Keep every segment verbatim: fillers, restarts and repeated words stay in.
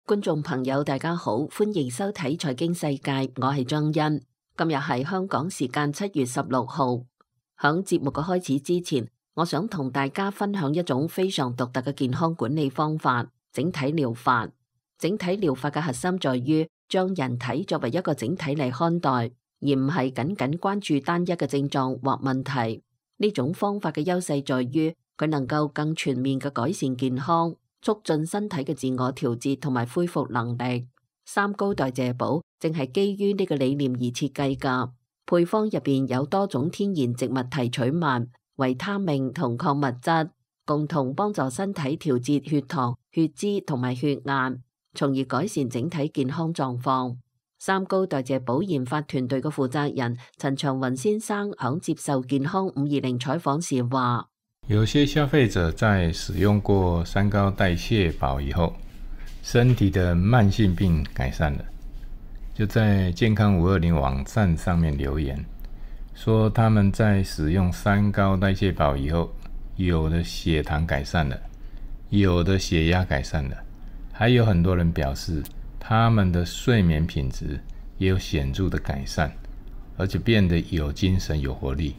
觀眾朋友大家好，歡迎收睇財經世界，我係張欣。今日係香港時間七月十六號。響節目嘅開始之前，我想同大家分享一種非常獨特嘅健康管理方法——整體療法。整體療法嘅核心在於將人體作為一個整體嚟看待，而唔係僅僅關注單一嘅症狀或問題。呢種方法嘅優勢在於佢能夠更全面嘅改善健康，促進身體嘅自我調節同埋恢復能力。三高代謝寶正係基於呢個理念而設計㗎。配方入邊有多種天然植物提取物、維他命同礦物質，共同幫助身體調節血糖、血脂同埋血壓，從而改善整體健康狀況。三高代謝寶研發團隊嘅負責人陳長雲先生響接受健康五二零採訪時話：有些消費者在使用過三高代謝寶以後，身體的慢性病改善了，就在健康五二零網站上面留言，說他們在使用三高代謝寶以後，有的血糖改善了，有的血壓改善了，還有很多人表示他們的睡眠品質也有顯著的改善，而且變得有精神有活力。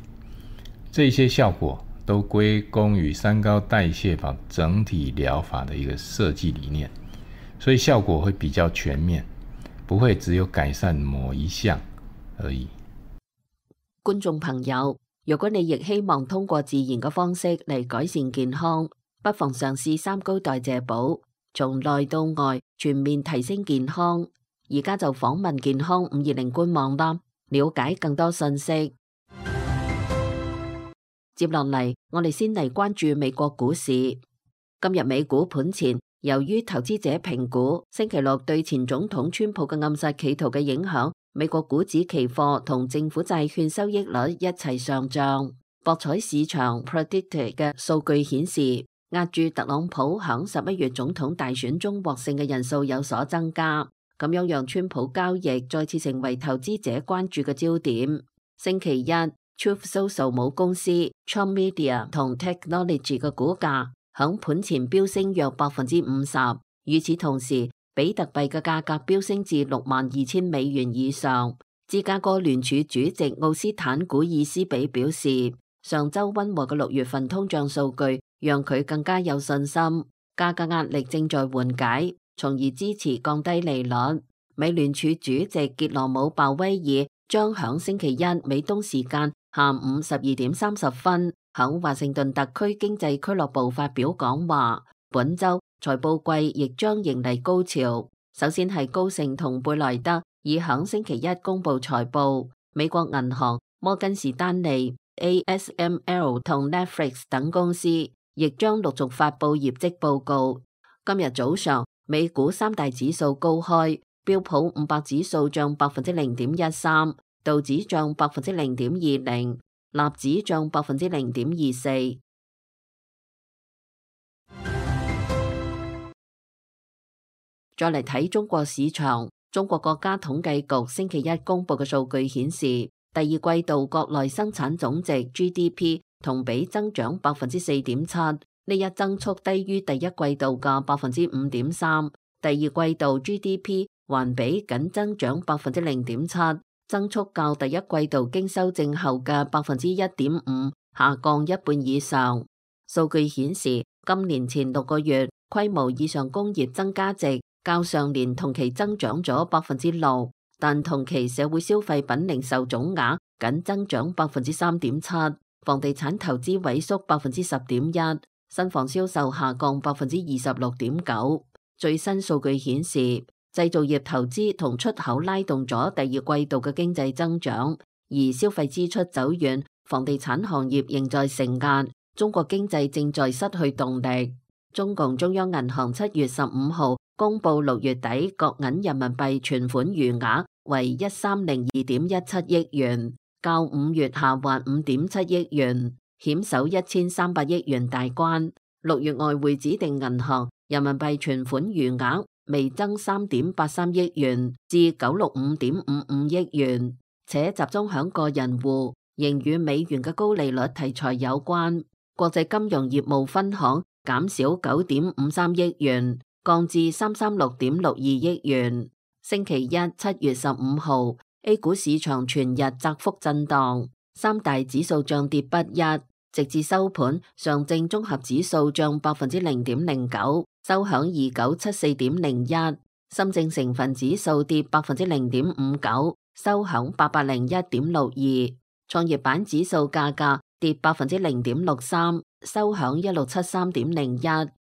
這些效果都歸功於三高代謝寶整體療法的一個設計理念，所以效果會比較全面，不會只有改善某一項而已。觀眾朋友，如果你亦希望通過自然嘅方式嚟改善健康，不妨嘗試三高代謝寶，從內到外全面提升健康。而家就訪問健康五二零官網啦，了解更多信息。接落嚟，我哋先嚟關注美國股市。今日美股盤前，由於投資者評估星期六對前總統川普嘅暗殺企圖嘅影響，美國股指期貨同政府債券收益率一齊上漲。博彩市場 predicted 嘅數據顯示，押注特朗普響十一月總統大選中獲勝嘅人數有所增加，咁樣讓川普交易再次成為投資者關注嘅焦點。星期一，Truth Social 母公司 Trump Media 同 Technology 嘅股價響盤前飆升約百分之五十，與此同時，比特幣嘅價格飆升至六萬二千美元以上。芝加哥聯儲主席奧斯坦古爾斯比表示，上周溫和嘅六月份通脹數據讓佢更加有信心，價格壓力正在緩解，從而支持降低利率。美聯儲主席傑羅姆鮑威爾將響星期一美東時間下午十二點三十分響華盛頓特區經濟俱樂部發表講話。本周財報季亦將迎嚟高潮，首先係高盛同貝萊德已響星期一公布財報，美國銀行、摩根士丹利、A S M L 同 Netflix 等公司亦將陸續發布業績報告。今日早上，美股三大指數高開，標普五百指數漲百分之零點一三，道指漲百分之零點二零，納指漲百分之零點二四。再嚟睇中國市場，中國國家統計局星期一公布嘅數據顯示，第二季度國內生產總值 G D P 同比增長百分之四點七，呢一增速低於第一季度嘅百分之五點三。第二季度 G D P 環比僅增長百分之零點七，增速較第一季度經修正後嘅百分之一點五下降一半以上。數據顯示，今年前六個月規模以上工業增加值較上年同期增長咗百分之六，但同期社會消費品零售總額僅增長百分之三點七，房地產投資萎縮百分之十點一，新房銷售下降百分之二十六點九。最新數據顯示，製造業投資同出口拉動咗第二季度嘅經濟增長，而消費支出走軟，房地產行業仍在承壓，中國經濟正在失去動力。中共中央銀行七月十五號公布六月底國銀人民幣存款餘額為一三零二點一七億元，較五月下滑五點七億元，險守一千三百億元大關。六月外匯指定銀行人民幣存款餘額微增三點八三億元至九百六十五點五五億元，且集中響個人戶，仍與美元嘅高利率題材有關。國際金融業務分行減少九點五三億元，降至三百三十六點六二億元。星期一七月十五號 A 股市場全日窄幅震盪，三大指數漲跌不一，直至收盤，上證綜合指數漲百分之零點零九，收響二九七四點零一；深證成分指數跌百分之零點五九，收響八百零一點六二；創業板指數價格跌百分之零點六三，收響一六七三點零一。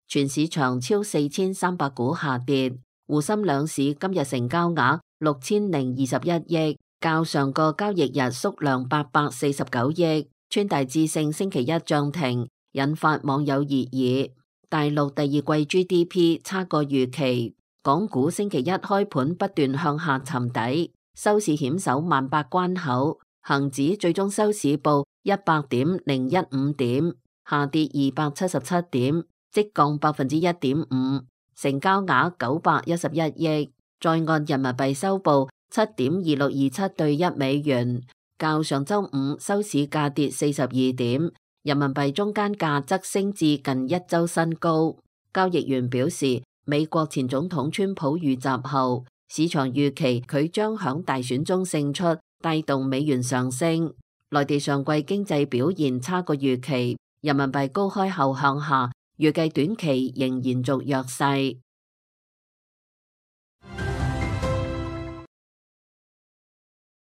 全市場超四千三百股下跌。滬深兩市今日成交額六千零二十一億，較上個交易日縮量八百四十九億。川大智勝星期一漲停，引發網友熱議。大陸第二季 G D P 差過預期，港股星期一開盤不斷向下沉底，收市險守萬八關口，恒指最終收市報一百點零一五點，下跌二百七十七點，即降百分之一點五。成交額九百一十一億，在岸人民幣收報七點二六二七對一美元，較上周五收市價跌四十二點，人民幣中間價則升至近一周新高。交易員表示，美國前總統川普遇襲後，市場預期佢將響大選中勝出，帶動美元上升。內地上季經濟表現差過預期，人民幣高開後向下，預計短期仍延續弱勢。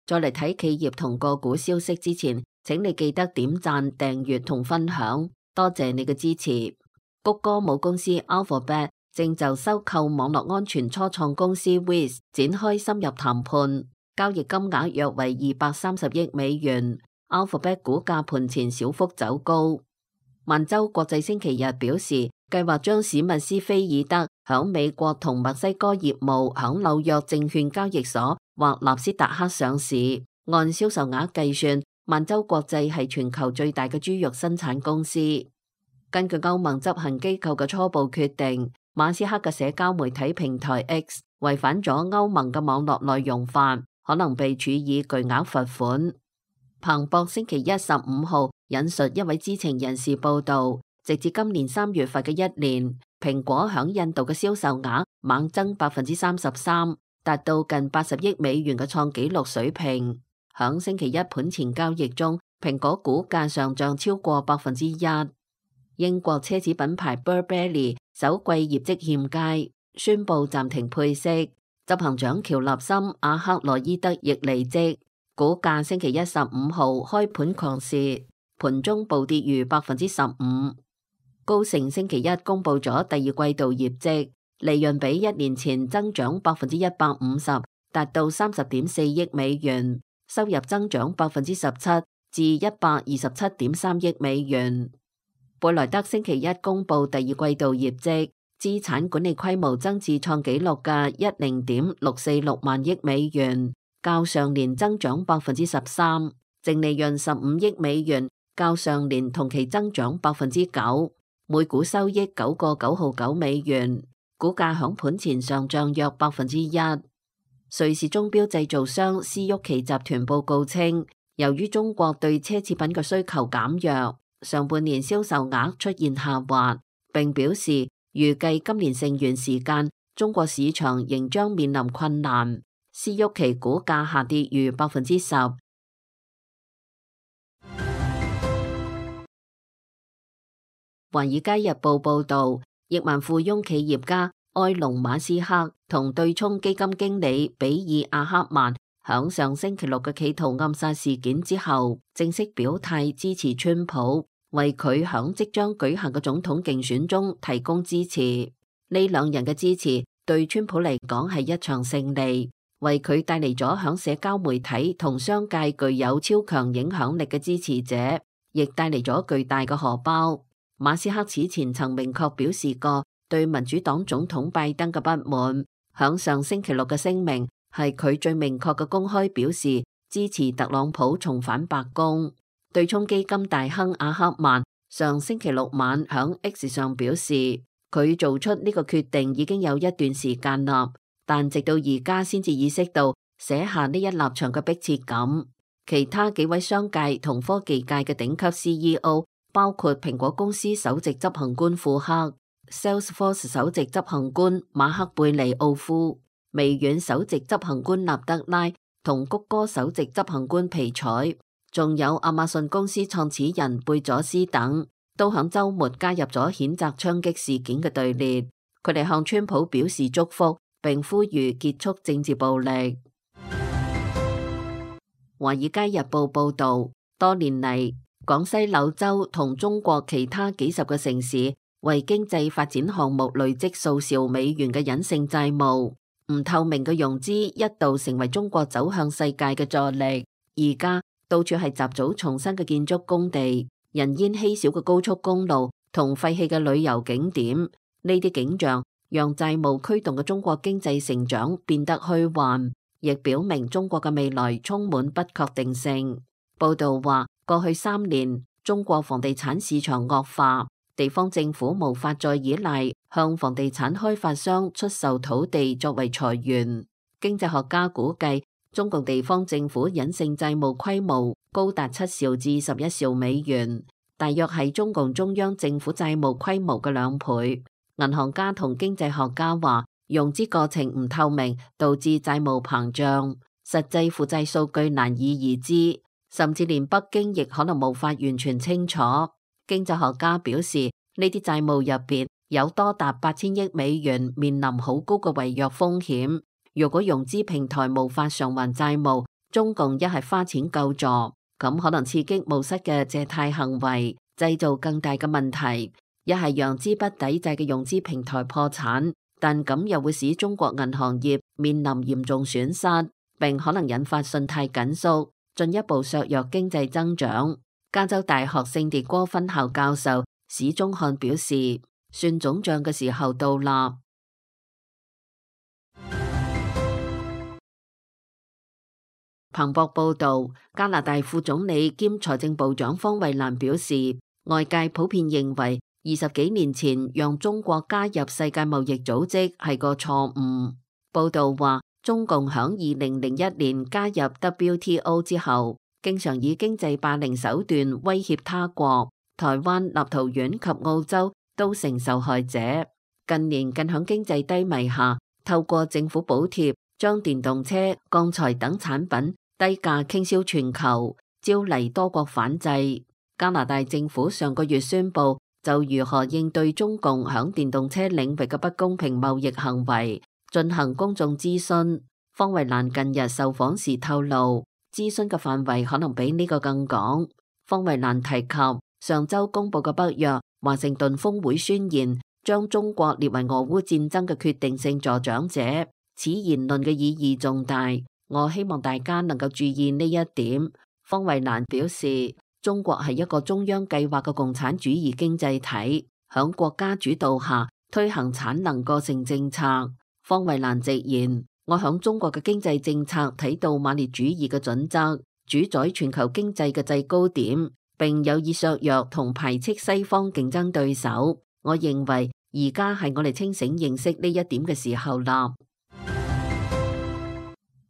再嚟睇企業同個股消息之前，請你記得點讚、訂閱同分享，多謝你嘅支持。谷歌母公司 Alphabet 正就收購網絡安全初創公司 Wiz 展開深入談判，交易金額約為二百三十億美元。Alphabet 股價盤前小幅走高。萬洲國際星期日表示，計劃將史密斯菲爾德響美國同墨西哥業務響紐約證券交易所或納斯達克上市。按銷售額計算，萬洲國際係全球最大嘅豬肉生產公司。根據歐盟執行機構嘅初步決定，馬斯克嘅社交媒體平台 X 違反咗歐盟嘅網絡內容法，可能被處以巨額罰款。彭博星期一十五號引述一位知情人士報道，直至今年三月份嘅一年，蘋果響印度嘅銷售額猛增百分之三十三，達到近八十億美元嘅創紀錄水平。響星期一盤前交易中，蘋果股價上漲超過百分之一。英國奢侈品牌 Burberry 首季業績欠佳，宣布暫停配息，執行長喬納森阿克羅伊德亦離職。股價星期一十五號開盤狂瀉，盤中暴跌逾百分之十五。高盛星期一公布咗第二季度業績，利潤比一年前增長百分之一百五十，達到三十點四億美元，收入增長百分之十七至一百二十七點三億美元。貝萊德星期一公布第二季度業績，資產管理規模增至創紀錄嘅一零點六四六萬億美元。較上年增長百分之十三，淨利潤十五億美元，較上年同期增長百分之九，每股收益九個九毫九美元，股價響盤前上漲約百分之一。瑞士鐘錶製造商斯沃琪集團報告稱，由於中國對奢侈品嘅需求減弱，上半年銷售額出現下滑，並表示預計今年剩餘時間，中國市場仍將面臨困難。斯沃琪股價下跌逾百分之十。華爾街日報報道，億萬富翁企業家埃隆馬斯克同對沖基金經理比爾阿克曼響上星期六嘅企圖暗殺事件之後，正式表態支持川普，為佢響即將舉行嘅總統競選中提供支持。呢兩人嘅支持對川普嚟講係一場勝利，為佢帶嚟咗響社交媒體同商界具有超強影響力嘅支持者，亦帶嚟咗巨大嘅荷包。馬斯克此前曾明確表示過對民主黨總統拜登嘅不滿，響上星期六嘅聲明係佢最明確嘅公開表示支持特朗普重返白宮。對沖基金大亨阿克曼上星期六晚響 X 上表示，佢做出呢個決定已經有一段時間啦，但直到而家先至意識到寫下呢一立場嘅迫切感。其他幾位商界同科技界嘅頂級 C E O， 包括蘋果公司首席執行官庫克、Salesforce 首席執行官馬克貝尼奧夫、微軟首席執行官納德拉同谷歌首席執行官皮采，仲有亞馬遜公司創始人貝佐斯等，都響週末加入咗譴責槍擊事件嘅隊列。佢哋向川普表示祝福，並呼籲結束政治暴力。華爾街日報報道，多年嚟，廣西柳州同中國其他幾十個城市為經濟發展項目累積數兆美元嘅隱性債務，唔透明嘅融資一度成為中國走向世界嘅助力。而家到處係雜草叢生嘅建築工地、人煙稀少嘅高速公路同廢棄嘅旅遊景點，呢啲景象讓債務驅動嘅中國經濟成長變得虛幻，亦表明中國嘅未來充滿不確定性。報道話，過去三年中國房地產市場惡化，地方政府無法再依賴向房地產開發商出售土地作為財源。經濟學家估計，中共地方政府隱性債務規模高達七兆至十一兆美元，大約係中共中央政府債務規模嘅兩倍。銀行家同經濟學家話，融資過程唔透明，導致債務膨脹，實際負債數據難以而知，甚至連北京亦可能無法完全清楚。經濟學家表示，呢啲債務入邊有多達八千億美元面臨好高嘅違約風險。如果融資平台無法償還債務，中共一係花錢救助，咁可能刺激冒失嘅借貸行為，製造更大嘅問題；一係讓資不抵債嘅融資平台破產，但咁又會使中國銀行業面臨嚴重損失，並可能引發信貸緊縮，進一步削弱經濟增長。加州大學聖迭戈分校教授史宗漢表示，算總賬嘅時候到啦。彭博報道，加拿大副總理兼財政部長方慧蘭表示，外界普遍認為二十幾年前讓中國加入世界貿易組織係個錯誤。報道話，中共響二零零一年加入 W T O 之後，經常以經濟霸凌手段威脅他國，台灣、立陶宛及澳洲都成受害者。近年更響經濟低迷下，透過政府補貼，將電動車、鋼材等產品低價傾銷全球，招嚟多國反制。加拿大政府上個月宣布，就如何應對中共響電動車領域嘅不公平貿易行為進行公眾諮詢。方慧蘭近日受訪時透露，諮詢嘅範圍可能比呢個更廣。方慧蘭提及上周公布嘅北約華盛頓峰會宣言，將中國列為俄烏戰爭嘅決定性助長者，此言論嘅意義重大。我希望大家能夠注意呢一點。方慧蘭表示，中國係一個中央計劃嘅共產主義經濟體，響國家主導下推行產能過剩政策。方慧蘭直言，我響中國嘅經濟政策睇到馬列主義嘅準則，主宰全球經濟嘅制高點，並有意削弱同排斥西方競爭對手。我認為而家係我哋清醒認識呢一點嘅時候啦。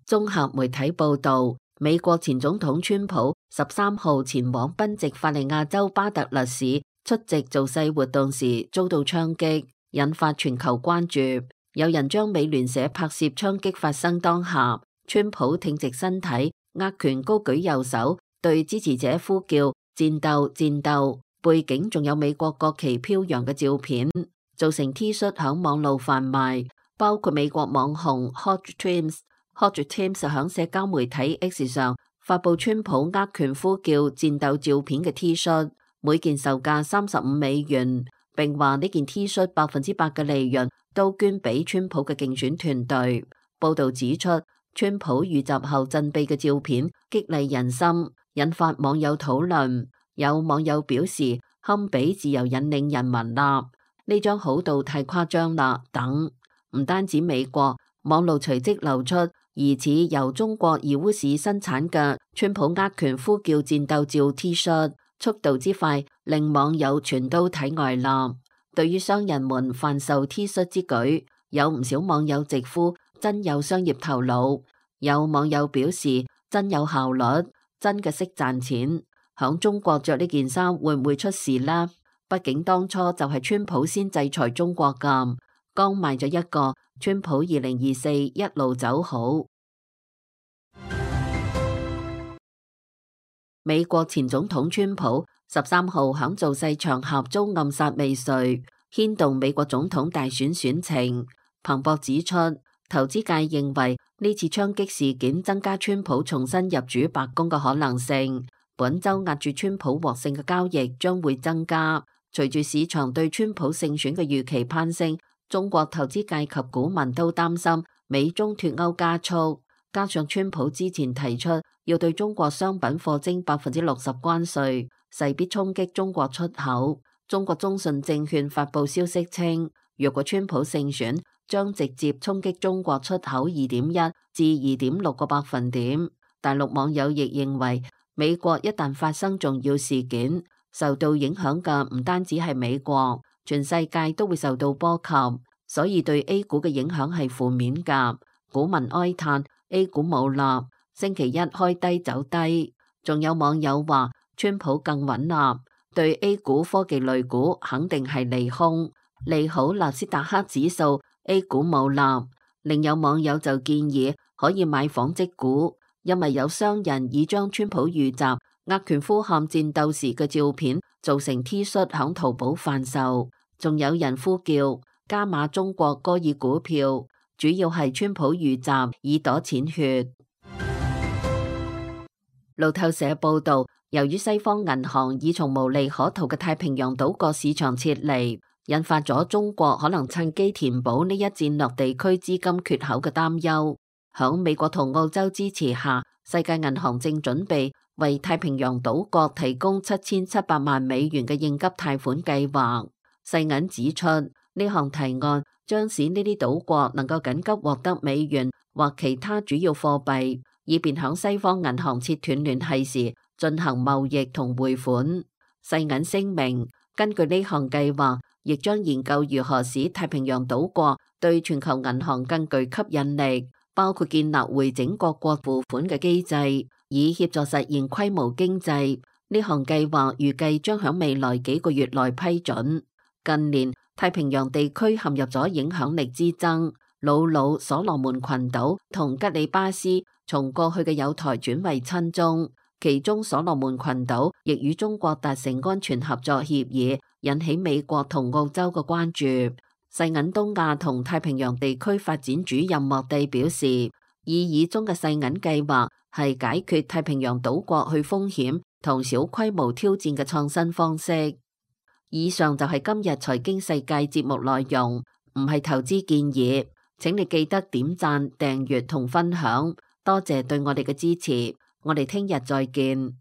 綜合媒體報道，美國前總統川普十三號前往賓夕法尼亞州巴特勒市出席造勢活動時遭到槍擊，引發全球關注。有人將美聯社拍攝槍擊發生當下，川普挺直身體，握拳高舉右手，對支持者呼叫戰鬥戰鬥，背景仲有美國國旗飄揚嘅照片，造成 T 恤響網路販賣，包括美國網紅 Hot Trims。Hot Trims 響社交媒體 X 上發布川普握拳呼叫戰鬥照片嘅 T 恤，每件售價三十五美元，並話呢件 T 恤百分之百嘅利潤都捐俾川普嘅競選團隊。報道指出，川普遇襲後振臂嘅照片激勵人心，引發網友討論。有網友表示，堪比自由引領人民啦，呢張好到太誇張啦等。唔單止美國，網路隨即流出疑似由中國義烏市生產嘅川普握拳呼叫戰鬥照 T 恤，速度之快令網友全都體外啦。對於商人們販售 T 恤之舉，有唔少網友直呼真有商業頭腦。有網友表示真有效率，真嘅識賺錢。響中國着呢件衫會唔會出事呢？畢竟當初就係川普先制裁中國㗎，剛賣咗一個，川普二零二四一路走好。美國前總統川普十三號響造勢場合遭暗殺未遂，牽動美國總統大選選情。彭博指出，投資界認為呢次槍擊事件增加川普重新入主白宮嘅可能性，本周壓住川普獲勝嘅交易將會增加。隨住市場對川普勝選嘅預期攀升，中國投資界及股民都擔心美中脫歐加速，加上川普之前提出要對中國商品課徵百分之六十關稅，勢必衝擊中國出口。中國中信證券發布消息稱，若果川普勝選，將直接衝擊中國出口二點一至二點六個百分點。大陸網友亦認為，美國一旦發生重要事件，受到影響嘅唔單止係美國，全世界都會受到波及，所以對 A 股嘅影響係負面㗎。股民哀嘆 A 股冇立，星期一開低走低。仲有網友話川普更穩立，對 A 股科技類股肯定係利空，利好納斯達克指數。A 股冇立。另有網友就建議可以買紡織股，因為有商人已將川普遇襲握拳呼喊戰鬥時嘅照片做成 T 恤響淘寶販售。仲有人呼叫加碼中國歌爾股票，主要係川普遇襲以躲錢血。路透社報道，由於西方銀行已從無利可圖嘅太平洋島國市場撤離，引發咗中國可能趁機填補呢一戰略地區資金缺口嘅擔憂。響美國同澳洲支持下，世界銀行正準備為太平洋島國提供七千七百萬美元嘅應急貸款計劃。世銀指出，呢項提案將使呢啲島國能夠緊急獲得美元或其他主要貨幣，以便響西方銀行切斷聯繫時進行貿易同匯款。世銀聲明，根據呢項計劃，亦將研究如何使太平洋島國對全球銀行更具吸引力，包括建立回整各國付款嘅機制，以協助實現規模經濟。呢項計劃預計將響未來幾個月內批准。近年太平洋地區陷入咗影響力之爭，瑙魯、所羅門群島同吉里巴斯從過去嘅友台轉為親中，其中所羅門群島亦與中國達成安全合作協議，引起美國同澳洲嘅關注。世銀東亞同太平洋地區發展主任莫蒂表示，意議中嘅世銀計劃係解決太平洋島國去風險同小規模挑戰嘅創新方式。以上就係今日財經世界節目內容，唔係投資建議，請你記得點讚、訂閱同分享，多謝對我哋嘅支持，我哋聽日再見。